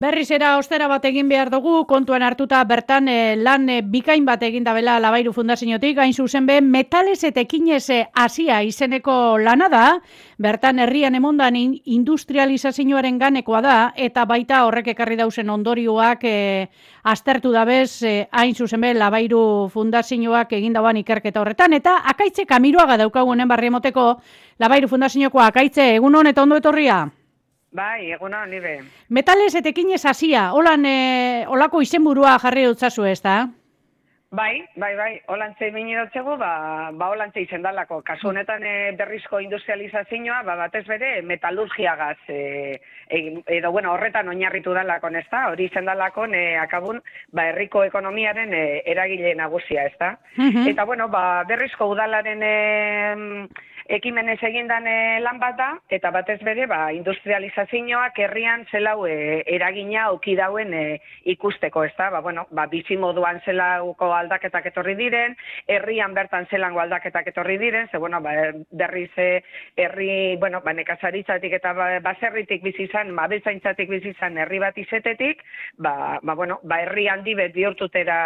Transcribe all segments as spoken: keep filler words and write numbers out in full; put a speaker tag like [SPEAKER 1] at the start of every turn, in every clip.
[SPEAKER 1] Berriz era ostera bat egin behar dugu, kontuan hartuta bertan eh, lan eh, bikain bat egin dabela Labairu Fundaziotik, hain zuzen be, metales eta ekinez hasia izeneko lana da, bertan herrian emondan in, industrializazioaren ganekoa da, eta baita horrek ekarri dausen ondorioak eh, aztertu dabez, eh, hain zuzen be, Labairu Fundazioak egin dauan ikerketa horretan, eta Akaitze Kamiroaga daukagunen barri emoteko, Labairu Fundazioko Akaitze, egun hon eta ondo etorria?
[SPEAKER 2] Bai, eguna honi be.
[SPEAKER 1] Metales eta ekinez hasia, holan e, olako izenburua jarri dutzazu ez da?
[SPEAKER 2] Bai, bai, bai, holantze bini dutzegu, ba, ba holantze izen dalako. Kasu honetan e, berrizko industrializazioa, ba, batez bere, metalurgiagaz, e, e, edo, bueno, horretan oinarritu dalako, ez da? Hori izen dalako, e, akabun, ba, herriko ekonomiaren e, eragile nagusia, ez da? Uh-huh. Eta, bueno, ba, berrizko udalaren e, ekimenez egindan e, lan bat da, eta batez bere, ba, industrializazioak herrian zelau e, eragina auki dauen e, ikusteko, ez da? Ba, bueno, ba, bizimoduan zelauko aldaketak etorri diren, herrian bertan zelango aldaketak etorri diren, ze, bueno, ba, berriz e, herri, bueno, ba, nekazaritzatik eta ba, baserritik bizi izan, ba, abeltzaintzatik bizi izan herri bat izetetik, ba, ba, bueno, ba, herri handi bet bihurtutera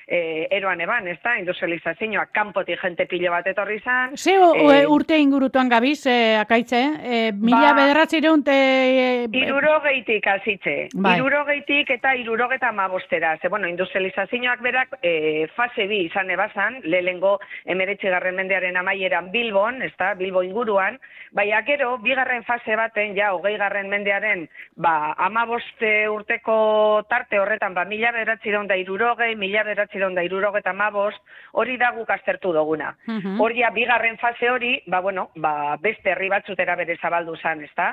[SPEAKER 2] e, eroan eban, ez da? Industrializazioak kanpotik jente pilo bat etorri izan.
[SPEAKER 1] Ze e, urte ingurutuan gabiz, e, Akaitze, e, mila ba, bederatzireun te... E,
[SPEAKER 2] irurogeitik azitze, bai. irurogeitik eta irurogeta amabostera. Ze, bueno, industrializazioak berak e, fase bi izan ebazan, lehengo emeretzigarren mendearen amaieran Bilbon, ez da, Bilbo inguruan, baina gero, bigarren fase baten, ja, hogeigarren mendearen, ba, amaboste urteko tarte horretan, ba, mila bederatzireun da irurogei, mila bederatzireun da irurogeta amabost, hori da guk aztertu duguna. Uh-huh. Hori, bigarren fase hori, ba, bueno, ba, beste herri batzutera bere zabaldu zan, ezta?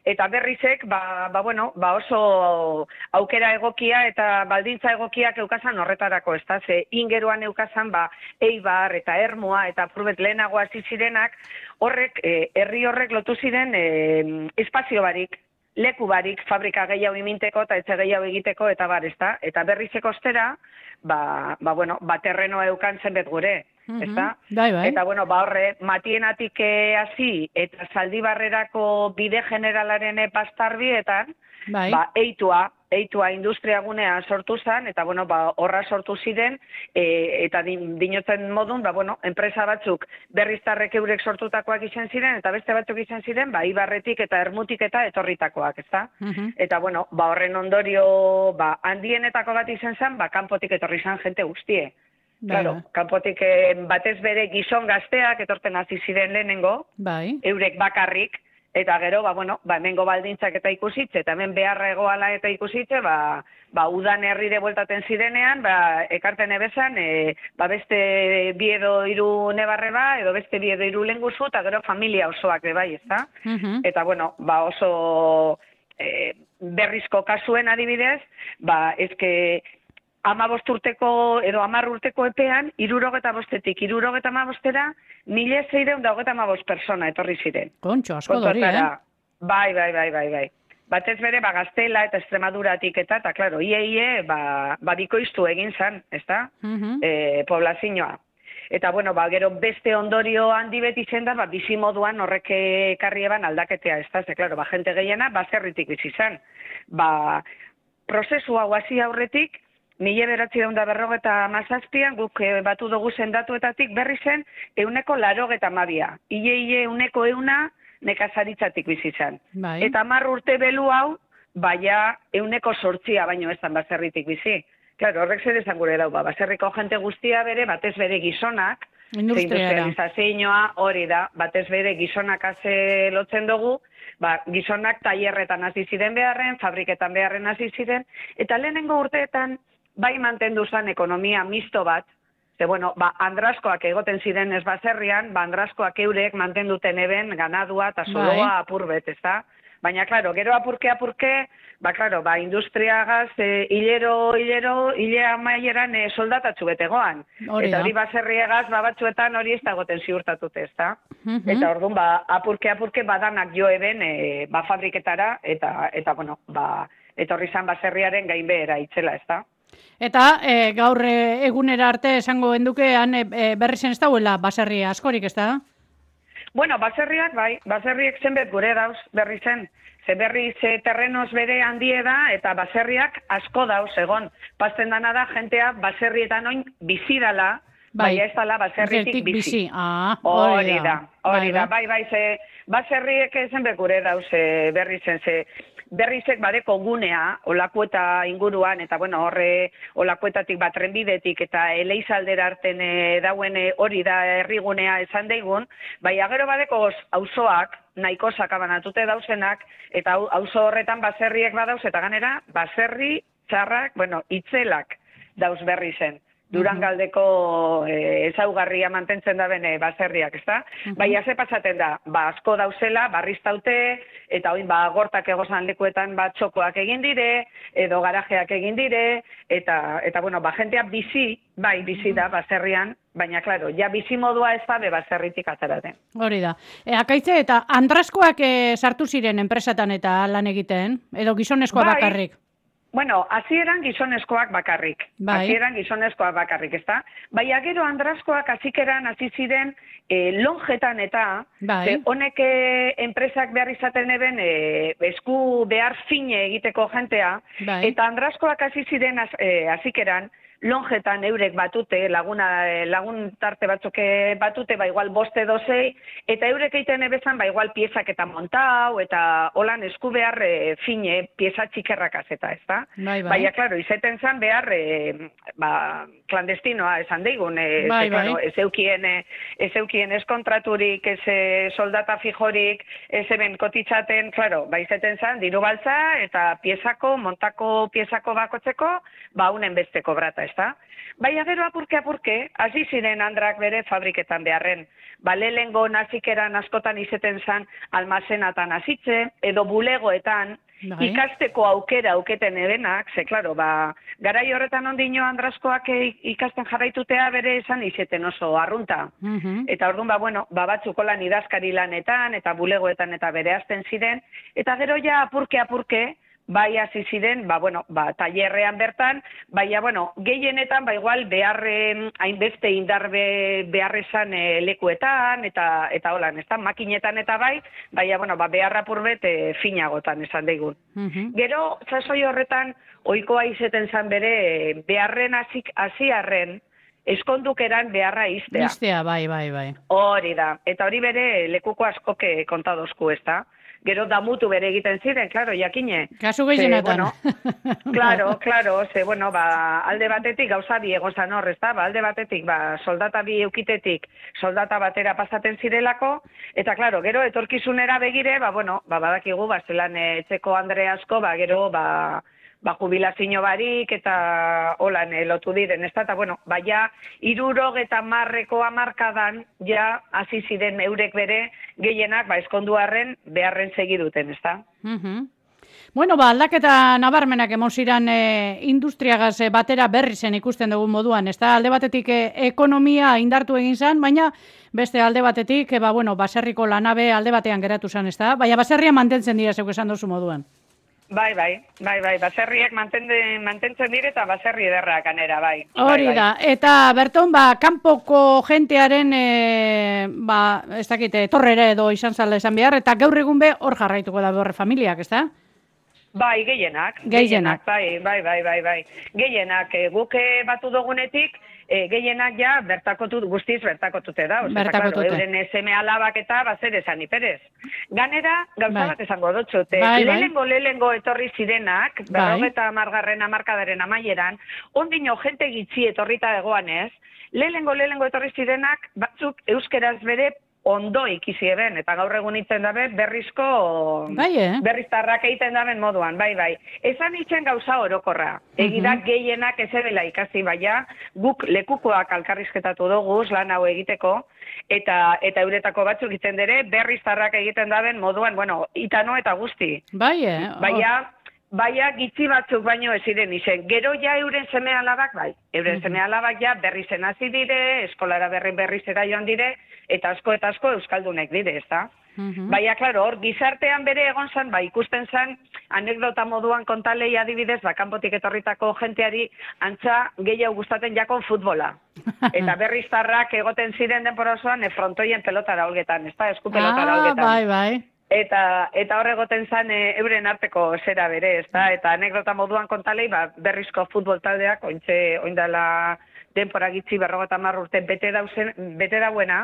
[SPEAKER 2] Eta berrizek, ba, ba, bueno, ba oso aukera egokia eta baldintza egokiak eukazan horretarako, ezta? Ze ingeruan eukazan, ba, Eibar eta Ermua eta Purbet lehenago hasi zirenak, horrek, eh, herri horrek lotu ziren eh, espazio barik, leku barik, fabrika gehiago iminteko eta etxe gehiago egiteko eta bar, ezta? Eta berrizek ostera, ba, ba, bueno, ba, terrenoa eukan zenbet gure.
[SPEAKER 1] Uh-huh.
[SPEAKER 2] Ezta?
[SPEAKER 1] Bai, bai.
[SPEAKER 2] Eta, bueno, ba horre, matienatik hasi eta Zaldibarrerako bide generalaren pastarbietan, bai. Ba, eitua, eitua industriagunea sortu zen, eta, bueno, ba, horra sortu ziren, e, eta din, dinotzen modun, ba, bueno, enpresa batzuk berriztarrek eurek sortutakoak izan ziren, eta beste batzuk izan ziren, ba, Ibarretik eta Ermutik eta etorritakoak, ezta? Uh-huh. Eta, bueno, ba, horren ondorio, ba, handienetako bat izan zen, ba, kanpotik etorri zen jente guztie. Claro, kanpotik eh, batez bere gizon gazteak etorten hasi ziren lehenengo, bai. Eurek bakarrik, eta gero, ba, bueno, ba, hemengo baldintzak eta ikusitze, eta hemen beharra egoala eta ikusitze, ba, ba, udan herrire bueltaten zirenean, ba, ekarten ebezan, e, ba, beste biedo iru nebarre ba, edo beste biedo iru lenguzu, eta gero familia osoak be bai, ezta? Uh-huh. Eta, bueno, ba, oso e, berrizko kasuen adibidez, ba, ezke, amabost urteko, edo amar urteko epean, irurogeta bostetik, irurogeta amabostera, mila zeireun da hogeta amabost persona etorri ziren.
[SPEAKER 1] Kontxo, asko dori, eh?
[SPEAKER 2] Bai, bai, bai, bai, bai. Batez bere, ba, Gaztela eta Extremaduratik eta, eta, klaro, ie, ie, ba, ba bikoiztu egin zan, ez da? Uh-huh. E, poblazioa. Eta, bueno, ba, gero beste ondorio handi beti zen da, ba, bizimoduan horrek ekarri eban aldaketea, ez da? Ze, klaro, ba, jente gehiena, baserritik bizi zan. Ba, prozesu hau hasi aurretik, mila beratzi daunda berrogeta mazazpian, guk e, batu dugu zendatuetatik berri zen, euneko larogeta mabia. Ile, ile, euneko euna nekazaritzatik bizizan. Bai. Eta hamar urte belu hau, baina euneko sortzia baino ez dan baserritik bizi. Claro, horrek zer esan gure dau, ba, baserriko jente guztia bere, batez bere gizonak, industrializazioa hori da, batez bere gizonak haze lotzen dugu, ba, gizonak tailerretan hasi ziren beharren, fabriketan beharren hasi ziren, eta lehenengo urteetan, bai mantendu zen ekonomia misto bat, ze, bueno, ba, andraskoak egoten ziren ez baserrian, ba, andraskoak eurek mantenduten eben ganadua eta soloa apurbet, ez da? Baina, klaro, gero apurke, apurke, ba, klaro, ba, industriagaz, e, hilero, hilero, hilea maieran e, soldatatxu betegoan. Hori eta hori baserriagaz, ba, batzuetan hori ez da goten ziurtatute, ez da? Uh-huh. Eta orduan, ba, apurke, apurke, badanak jo eben, e, ba, fabriketara, eta, eta, bueno, ba, etorri zan baserriaren gainbehera itzela, ez da?
[SPEAKER 1] Eta e, gaur e, egunera arte esango endukean e, berri zen ez dauela baserri askorik, ez da?
[SPEAKER 2] Bueno, baserriak, bai, baserriek zenbet gure dauz berri zen. ze berri ze terrenos bere handie da, eta baserriak asko dauz egon. Pasten dana da, jentea baserrietan oin bizi dala, bai, baina ez dala baserritik bizi.
[SPEAKER 1] bizi. Ah,
[SPEAKER 2] hori da, hori da, bai, bai, ze baserriek ezen bekure dauz berri zen, ze berrizek badeko gunea, olakueta inguruan, eta bueno, horre olakuetatik bat trenbidetik eta eleizaldera arten e, dauen e, hori da herrigunea esan daigun, bai agero badeko auzoak nahiko sakabanatute dauzenak, eta auzo horretan baserriek badauz, eta ganera, baserri txarrak, bueno, itzelak dauz berri zen. Durangaldeko e, ezaugarria mantentzen da bene baserriak, ezta? Uh -huh. Baina ze pasaten da, ba asko dauzela, barriztaute, eta oin ba gortak egozan lekuetan ba txokoak egin dire, edo garajeak egin dire, eta, eta bueno, ba jentea bizi, bai bizi da baserrian, baina, klaro, ja bizi modua ez da be baserritik ateraten.
[SPEAKER 1] Hori da. E, akaitze, eta andraskoak e, sartu ziren enpresatan eta lan egiten, edo gizonezkoa
[SPEAKER 2] bai.
[SPEAKER 1] bakarrik?
[SPEAKER 2] Bueno, hasieran gizonezkoak bakarrik.
[SPEAKER 1] Bai.
[SPEAKER 2] Hasieran gizonezkoak bakarrik, ezta? Baina gero andrazkoak hasikeran hasi ziren e, lonjetan eta
[SPEAKER 1] bai.
[SPEAKER 2] honek enpresak behar izaten eben e, esku behar fine egiteko jentea,
[SPEAKER 1] bai.
[SPEAKER 2] eta andrazkoak hasi ziren hasikeran e, lonjetan eurek batute, laguna, lagun tarte batzuk batute, ba igual boste dozei, eta eurek egiten ebezan, ba igual piezak eta montau, eta holan esku behar e, fine, pieza txikerrakaz eta, ez da?
[SPEAKER 1] Bai, bai.
[SPEAKER 2] Baina, klaro, izeten zan behar, e, ba, klandestinoa esan deigun, e,
[SPEAKER 1] bai,
[SPEAKER 2] ze, klaro,
[SPEAKER 1] bai.
[SPEAKER 2] ez eukien, ez eukien ez kontraturik, ez e, soldata fijorik, ez eben kotitzaten, klaro, ba, izeten zan, diru baltza, eta piezako, montako piezako bakotzeko, ba, unen beste kobrata, ezta? Baina gero apurke-apurke, hasi ziren andrak bere fabriketan beharren. Ba, lehengo nazikeran askotan izeten zan almazenatan hasitze, edo bulegoetan, bai. Ikasteko aukera auketen ebenak, ze, klaro, ba, garai horretan ondino andraskoak ikasten jarraitutea bere esan izeten oso arrunta. Uh -huh. Eta orduan, ba, bueno, ba, batzuko lan idazkari lanetan, eta bulegoetan eta bere azten ziren, eta gero ja apurke-apurke, bai hasi ziren, ba, bueno, ba, tailerrean bertan, baina, bueno, gehienetan, ba, igual, beharre, hainbeste indarbe beharrezan e, lekuetan, eta, eta holan, ez da, makinetan eta bai, baina, bueno, ba, beharra purbet e, finagotan esan daigun. Uh -huh. Gero, sasoi horretan, ohikoa izeten zan bere, e, beharren hasiarren, eskondukeran beharra iztea.
[SPEAKER 1] Iztea, bai, bai, bai.
[SPEAKER 2] Hori da, eta hori bere lekuko askoke kontadozku, ez da? Gero damutu bere egiten ziren, klaro, jakine.
[SPEAKER 1] Kasu gehienetan.
[SPEAKER 2] Bueno, klaro, klaro, ze, bueno, ba, alde batetik gauza bi egon zan hor, ez da? Ba, alde batetik, ba, soldata bi eukitetik, soldata batera pasaten zirelako, eta, klaro, gero, etorkizunera begire, ba, bueno, ba, badakigu, ba, zelan etxeko andre asko, ba, gero, ba, ba, jubilazio barik eta holan lotu diren, ez da, eta, bueno, ba, ja, irurog eta marreko amarkadan, ja, hasi ziren eurek bere gehienak, ba, eskonduarren beharren segiduten, ez da?
[SPEAKER 1] Uh -huh. Bueno, ba, aldaketa nabarmenak emon ziren e, industriagaz e, batera berri zen ikusten dugun moduan, ez da, alde batetik e, ekonomia indartu egin zen, baina beste alde batetik, e, ba, bueno, baserriko lanabe alde batean geratu zen, ez da, baina baserria mantentzen dira zeuk esan duzu moduan.
[SPEAKER 2] Bai, bai, bai, bai, baserriak mantentzen dire eta baserri ederrak anera, bai.
[SPEAKER 1] Hori
[SPEAKER 2] bai,
[SPEAKER 1] da, bai. Eta berton, ba, kanpoko jentearen, e, ba, ez dakit, torrere edo izan zala esan behar, eta gaur egun be hor jarraituko da horre familiak, ez da?
[SPEAKER 2] Bai, gehienak.
[SPEAKER 1] Gehienak.
[SPEAKER 2] Bai, bai, bai, bai, bai. Gehienak, e, guk batu dugunetik, e, gehienak ja bertakotu, guztiz bertakotute da. Oza,
[SPEAKER 1] bertakotute.
[SPEAKER 2] Claro, euren seme alabak eta bazer esan iperez. Ganera, gauza
[SPEAKER 1] bai.
[SPEAKER 2] bat esango dutxute.
[SPEAKER 1] Bai,
[SPEAKER 2] lehengo, bai. lehengo etorri zirenak,
[SPEAKER 1] bai.
[SPEAKER 2] berrogeta amargarren amarkadaren amaieran, ondino jente gitzi etorrita egoanez, lehengo, lehengo etorri zirenak, batzuk euskeraz bere ondo ikisi eben, eta gaur egun itzen dabe berrizko,
[SPEAKER 1] bai, eh?
[SPEAKER 2] berriztarrak egiten daben moduan, bai, bai. Esan itzen gauza orokorra. Egidak uh -huh. gehienak ez ebela ikasi baina, guk lekukoak alkarrizketatu dugu, lan hau egiteko, eta eta euretako batzuk itzen dere, berriztarrak egiten daben moduan, bueno, itano eta guzti.
[SPEAKER 1] Bai, eh? Oh.
[SPEAKER 2] Baina, baina gitzi batzuk baino ez ziren izen. Gero ja euren seme alabak, bai. Euren uh -huh. seme alabak ja berrizen hasi dire, eskolara berri berrizera joan dire, eta asko eta asko euskaldunek dire, ez da? Uh -huh. Baina, klaro, hor, gizartean bere egon zan, ba, ikusten zan, anekdota moduan kontalei adibidez, ba, kanpotik etorritako jenteari antza gehiago gustaten jakon futbola. Eta berriztarrak egoten ziren denpora osoan, e, frontoien pelotara olgetan, ez da? Esku pelotara olgetan.
[SPEAKER 1] Ah, bai, bai.
[SPEAKER 2] Eta eta hor egoten zen e, euren arteko zera bere, ezta? Eta anekdota moduan kontalei, ba, berrizko futbol taldeak, ointxe, oindala denpora gitzi berrogeta hamar urte bete dauzen, bete dauena,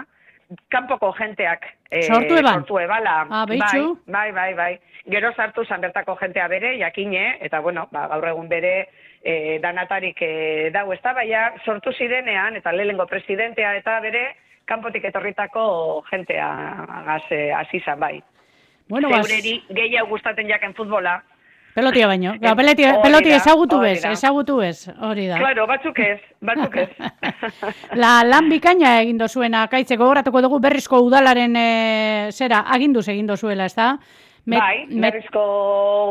[SPEAKER 2] kanpoko jenteak
[SPEAKER 1] e, sortu eban.
[SPEAKER 2] Sortu ebala.
[SPEAKER 1] Ah,
[SPEAKER 2] bai, bai, bai, bai. Gero sartu zan bertako jentea bere, jakine, eta bueno, ba, gaur egun bere e, danatarik e, dau, ezta? Baina sortu zirenean, eta lehengo presidentea eta bere, kanpotik etorritako jentea hasi e, zan, bai.
[SPEAKER 1] Bueno,
[SPEAKER 2] Zeureri gehiago gustatzen jaken futbola.
[SPEAKER 1] Pelotia baino. Ja, peloti, peloti ezagutu bez, ezagutu bez, hori da.
[SPEAKER 2] Claro, batzuk ez, batzuk ez.
[SPEAKER 1] La lan bikaina egin dozuena, Kaitze, gogoratuko dugu berrizko udalaren e, zera, aginduz egin dozuela, ez da?
[SPEAKER 2] Met, bai, berrizko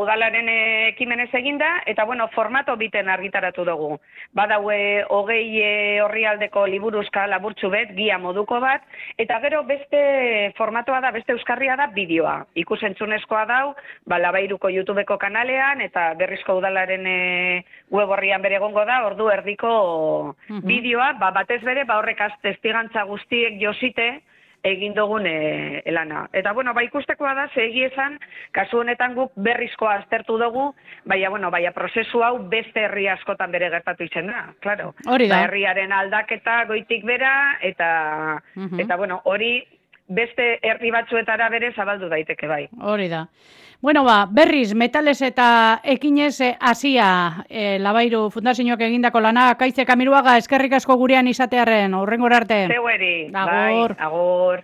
[SPEAKER 2] udalaren ekimenez eginda, eta bueno, formato biten argitaratu dugu. Badaue hogei orrialdeko liburuzka laburtxu bet, gia moduko bat, eta gero beste formatoa da, beste euskarria da bideoa. Ikusentzunezkoa dau, ba, Labairuko YouTubeko kanalean, eta berrizko udalaren web horrian bere egongo da, ordu erdiko uh-huh. bideoa, ba, batez bere, ba, horrek testigantza guztiek josite, egin dugun e, elana. Eta, bueno, ba, ikustekoa da, segi esan, kasu honetan guk berrizkoa aztertu dugu, baina, bueno, baina prozesu hau beste herri askotan bere gertatu izen da, klaro.
[SPEAKER 1] Hori da.
[SPEAKER 2] Ba, herriaren aldaketa goitik bera, eta, uh-huh. eta bueno, hori beste herri batzuetara bere zabaldu daiteke bai.
[SPEAKER 1] Hori da. Bueno, ba, berriz, metales eta ekinez hasia e, Labairu Fundazioak egindako lana, Kaitze Kamiruaga, eskerrik asko gurean izatearren, hurrengora arte.
[SPEAKER 2] Zeueri,
[SPEAKER 1] bai,
[SPEAKER 2] agur.